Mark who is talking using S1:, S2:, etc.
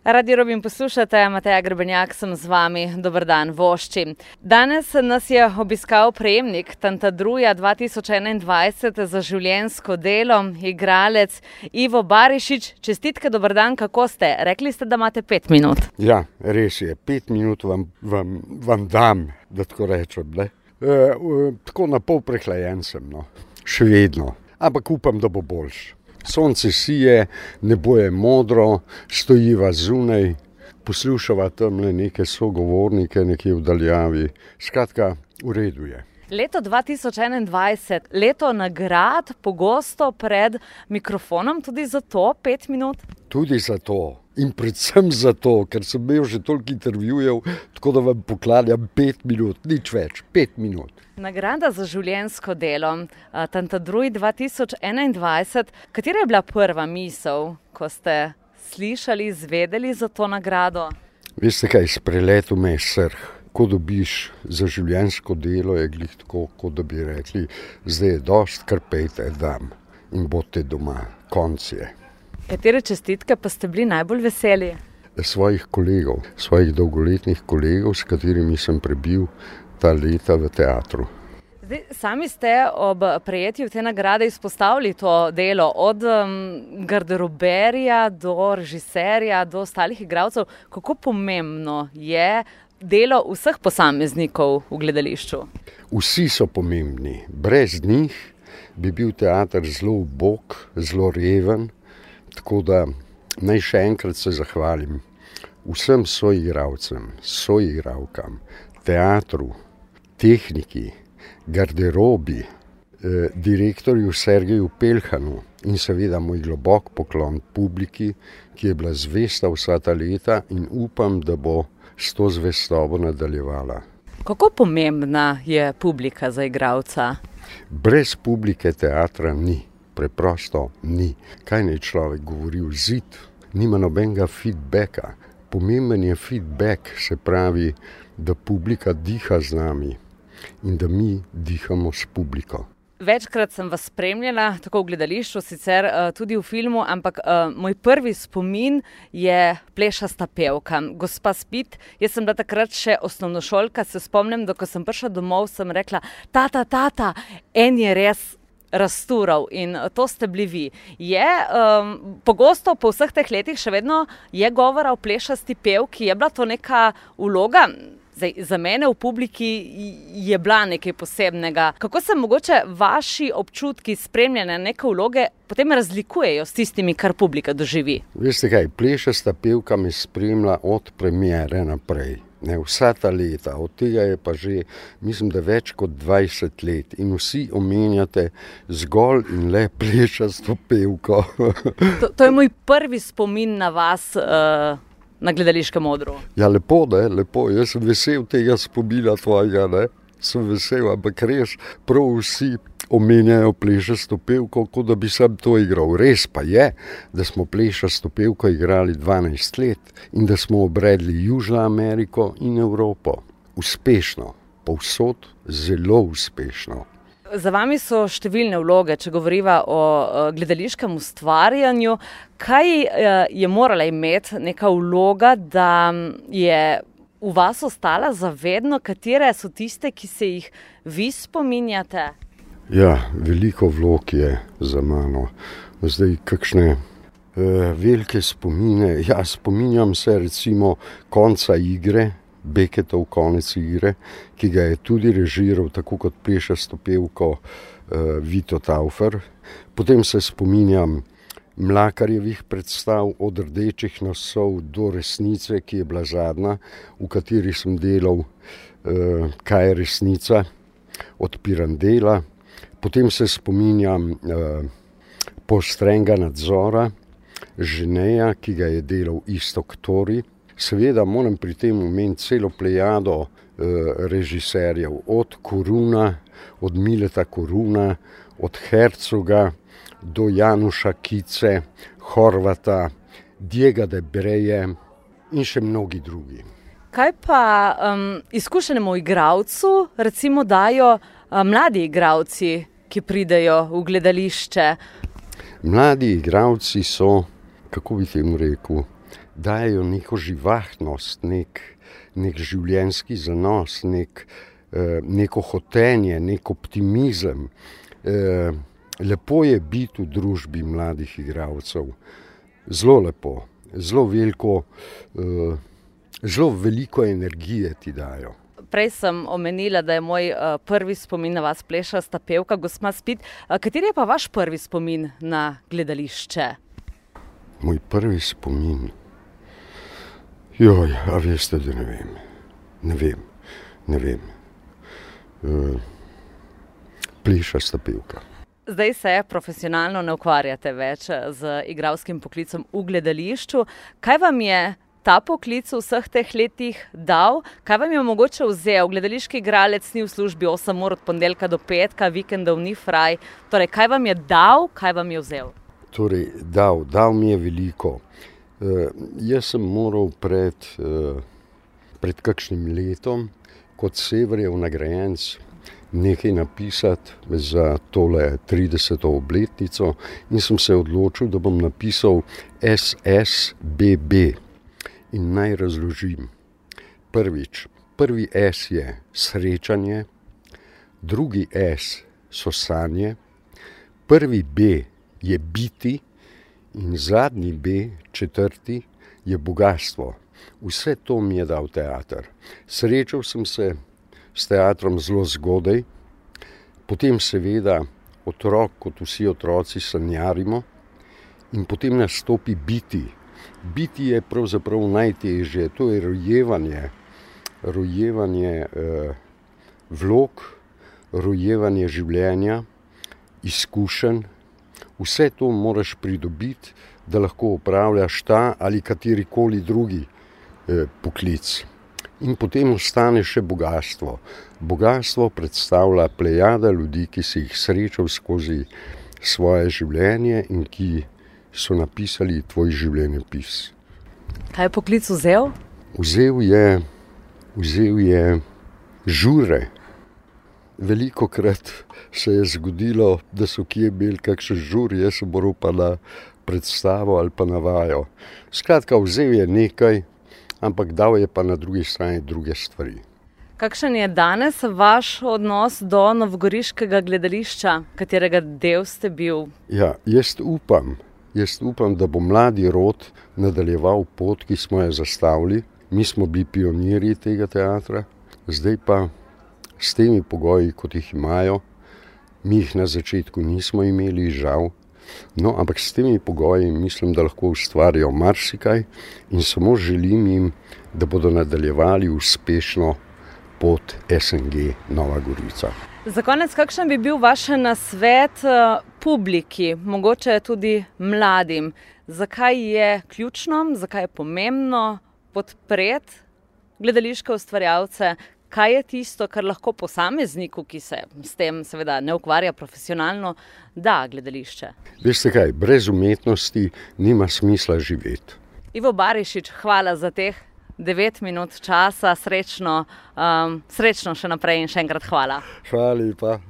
S1: Radio Robin poslušate, Mateja Grebenjak sem z vami, dober dan, vošči. Danes nas je obiskal prejemnik Tantadruja 2021 za življenjsko delo, igralec Ivo Barišić. Čestitke, dober dan, kako ste? Rekli ste, da imate 5 minut.
S2: Ja, res je, 5 minut vam dam, da tako rečem. Tako na pol prehlajen sem, še vedno, ampak upam, da bo boljš. Sonce sije, nebo je modro, stojiva zunaj, poslušava tamle neke sogovornike, nekje v daljavi. Skratka, v redu je.
S1: Leto 2021, leto nagrad, pogosto pred mikrofonom, tudi za to 5 minut?
S2: Tudi za to in predvsem za to, ker sem imel že toliko intervjujev, tako da vam poklanjam 5 minut, nič več, 5 minut.
S1: Nagrada za življenjsko delo, Tantadruj 2021. Katera je bila prva misel, ko ste slišali, izvedeli za to nagrado?
S2: Veste kaj, spreletel me je srh. Ko dobiš za življenjsko delo, je glih tako, kot da bi rekli, zdaj je dost, kar pejte dam in bodite doma, konc je.
S1: Katere čestitke pa ste bili najbolj veseli?
S2: Svojih kolegov, svojih dolgoletnih kolegov, s katerimi sem prebil ta leta v teatru.
S1: Zdaj, sami ste ob prejetju te nagrade izpostavili to delo, od garderoberja do režiserja, do ostalih igralcev. Kako pomembno je delo vseh posameznikov v gledališču?
S2: Vsi so pomembni. Brez njih bi bil teater zelo ubog, zelo reven, tako da naj še enkrat se zahvalim vsem soigralcem, soigralkam, teatru, tehniki, garderobi, direktorju Sergeju Peljhanu in seveda moj globok poklon publiki, ki je bila zvesta vsa ta leta in upam, da bo s to zvestobo nadaljevala.
S1: Kako pomembna je publika za igralca?
S2: Brez publike teatra ni, preprosto ni. Kaj naj človek govori v zid? Nima nobenega feedbacka. Pomemben je feedback, se pravi, da publika diha z nami in da mi dihamo s publiko.
S1: Večkrat sem vas spremljala, tako v gledališču, sicer tudi v filmu, ampak moj prvi spomin je plešasta pevka. Gospa Spit, jaz sem bila takrat še osnovnošolka, se spomnim, da ko sem prišla domov, sem rekla, tata, en je res raztural in to ste bili vi. Je pogosto po vseh teh letih še vedno je govora o plešasti pevki, je bila to neka vloga? Zdaj, za mene v publiki je bila nekaj posebnega. Kako se mogoče vaši občutki spremljanja neke vloge potem razlikujejo s tistimi, kar publika doživi?
S2: Veste kaj, plešasta pevka me spremlja od premiere naprej. Vsa ta leta, od tega je pa že, mislim, da več kot 20 let in vsi omenjate zgolj in le plešasto pevko.
S1: To je moj prvi spomin na vas, na gledališkem odru.
S2: Ja, lepo, lepo. Jaz sem vesel tega spomina tvojega, Sem vesel, ampak res prav vsi omenjajo plešasto pevko, kot da bi sam to igral. Res pa je, da smo plešasto pevko igrali 12 let in da smo obredli Južno Ameriko in Evropo. Uspešno, povsod zelo uspešno.
S1: Za vami so številne vloge, če govoriva o gledališkem ustvarjanju. Kaj je morala imeti neka vloga, da je v vas ostala zavedno? Katere so tiste, ki se jih vi spominjate?
S2: Ja, veliko vlog je za mano. Zdaj, kakšne velike spomine. Ja, spominjam se recimo konca igre, Becketov konec igre, ki ga je tudi režiral, tako kot plešasto pevko Vito Taufer. Potem se spominjam Mlakarjevih predstav od Rdečih nosov do Resnice, ki je bila zadnja, v kateri sem delal Kaj je resnica, od Pirandela. Potem se spominjam Poostrenega nadzora Ženeja, ki ga je delal Iztok Tori. Seveda moram pri tem omeniti celo plejado režiserjev, od Koruna, od Mileta Koruna, od Hercoga do Januša Kice, Horvata, Diega de Breje in še mnogi drugi.
S1: Kaj pa izkušenemu igralcu recimo dajo mladi igralci, ki pridejo v gledališče?
S2: Mladi igralci so, kako bi temu rekel, dajo neko živahnost, nek življenjski zanos, neko hotenje, nek optimizem. Lepo je biti v družbi mladih igralcev. Zelo lepo, zelo veliko energije ti dajo.
S1: Prej sem omenila, da je moj prvi spomin na vas plešasta pevka, gospa Spit. Kateri je pa vaš prvi spomin na gledališče?
S2: Moj prvi spomin? Joj, a veste, da ne vem. Plešasta pevka.
S1: Zdaj se profesionalno ne ukvarjate več z igralskim poklicem v gledališču. Kaj vam je ta poklic v vseh teh letih dal? Kaj vam je mogoče vzel? Gledališki igralec ni v službi 8 ur od ponedeljka do petka, vikendov ni fraj. Torej, kaj vam je dal, kaj vam je vzel?
S2: Torej, dal mi je veliko. Jaz sem moral pred kakšnim letom kot Severjev nagrajenec nekaj napisati za tole 30. obletnico in sem se odločil, da bom napisal SSBB. In naj razložim. Prvi S je srečanje, drugi S so sanje, prvi B je biti in zadnji B, četrti, je bogastvo. Vse to mi je dal teater. Srečal sem se s teatrom zelo zgodaj, potem seveda otrok, kot vsi otroci, sanjarimo in potem nastopi biti. Biti je pravzaprav najtežje, to je rojevanje vlog, rojevanje življenja, izkušenj. Vse to moraš pridobiti, da lahko opravljaš ta ali katerikoli drugi poklic. In potem ostane še bogastvo. Bogastvo predstavlja plejada ljudi, ki si jih srečal skozi svoje življenje in ki so napisali tvoj življenjepis.
S1: Kaj je poklic vzel?
S2: Vzel je žure. Velikokrat se je zgodilo, da so kje imeli kakšen žur, jaz sem moral pa na predstavo ali pa na vajo. Skratka, vzel je nekaj, ampak dal je pa na drugi strani druge stvari.
S1: Kakšen je danes vaš odnos do novogoriškega gledališča, katerega del ste bil?
S2: Ja, jaz upam, da bo mladi rod nadaljeval pot, ki smo jo zastavili. Mi smo bili pionirji tega teatra, zdaj pa s temi pogoji, kot jih imajo, mi jih na začetku nismo imeli, žal. No, ampak s temi pogoji mislim, da lahko ustvarijo marsikaj in samo želim jim, da bodo nadaljevali uspešno pot SNG Nova Gorica.
S1: Za konec, kakšen bi bil vaš nasvet publiki, mogoče tudi mladim? Zakaj je ključno, zakaj je pomembno podpreti gledališke ustvarjalce? Kaj je tisto, kar lahko posamezniku, ki se s tem seveda ne ukvarja profesionalno, da gledališče?
S2: Veste kaj, brez umetnosti nima smisla živeti.
S1: Ivo Barišič, hvala za teh 9 minut časa, srečno še naprej in še enkrat hvala.
S2: Hvala lepa.